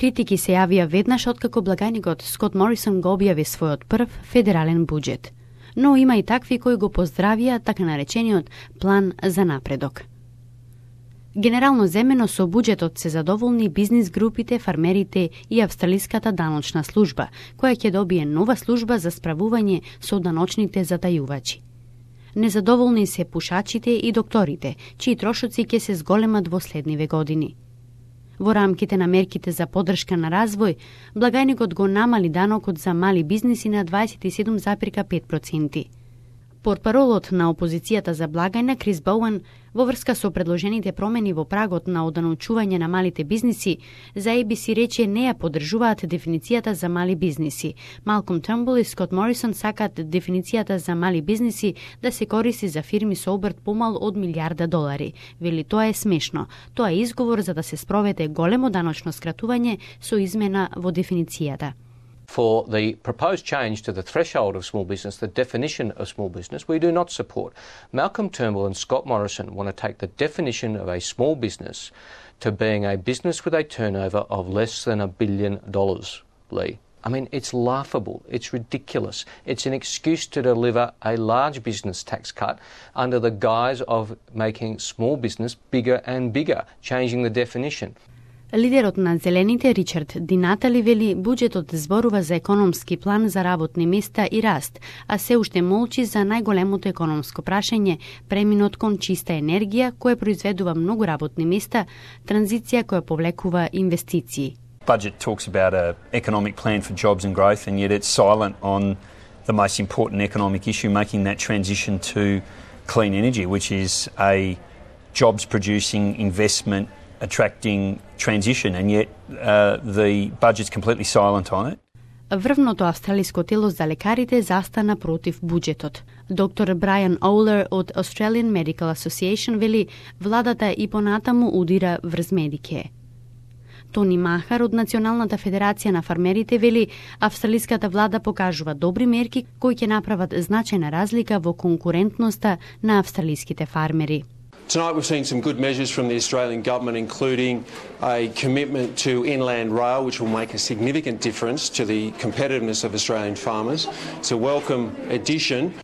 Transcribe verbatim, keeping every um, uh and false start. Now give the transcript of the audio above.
Критики се јавија веднаш откако благајникот Скот Морисон го објави својот прв федерален буџет. Но има и такви кои го поздравија така наречениот план за напредок. Генерално земено со буџетот се задоволни бизнис групите, фармерите и австралиската даночна служба, која ќе добие нова служба за справување со даночните затајувачи. Незадоволни се пушачите и докторите, чии трошоци ќе се зголемат во следниве години. Во рамките на мерките за поддршка на развој, благајникот го намали данокот за мали бизниси на дваесет и седум зарез пет проценти. Портпаролот на опозицијата за благајна Крис Боуен во врска со предложените промени во прагот на оданочување на малите бизниси, за Ей Би Си рече не ја поддржуваат дефиницијата за мали бизниси. Малком Трмбул и Скот Морисон сакаат дефиницијата за мали бизниси да се користи за фирми со обрт помал од милијарда долари. Вели тоа е смешно. Тоа е изговор за да се спроведе големо даночно скратување со измена во дефиницијата. For the proposed change to the threshold of small business, the definition of small business, we do not support. Malcolm Turnbull and Scott Morrison want to take the definition of a small business to being a business with a turnover of less than a billion dollars, Lee. I mean, it's laughable. It's ridiculous. It's an excuse to deliver a large business tax cut under the guise of making small business bigger and bigger, changing the definition. Лидерот на Зелените Ричард Ди Натали вели буџетот зборува за економски план за работни места и раст, а се уште молчи за најголемото економско прашање, преминот кон чиста енергија, која произведува многу работни места, транзиција која повлекува инвестиции. Budget talks about an economic plan for jobs and growth, and yet it's silent on the most important economic issue, making that transition to clean energy, which is a jobs-producing investment attracting transition, and yet uh, the budget's completely silent on it. Врвното австралиско тело за лекарите застана против буџетот. Доктор Брайан Оулер од Australian Medical Association вели владата и понатаму удира врз Медике. Тони Махар од Националната федерација на фармерите вели австралиската влада покажува добри мерки кои ќе направат значајна разлика во конкурентноста на австралиските фармери. Tonight we've seen some good measures from the Australian government, including a commitment to inland rail, which will make a significant difference to the competitiveness of Australian farmers. It's a welcome addition.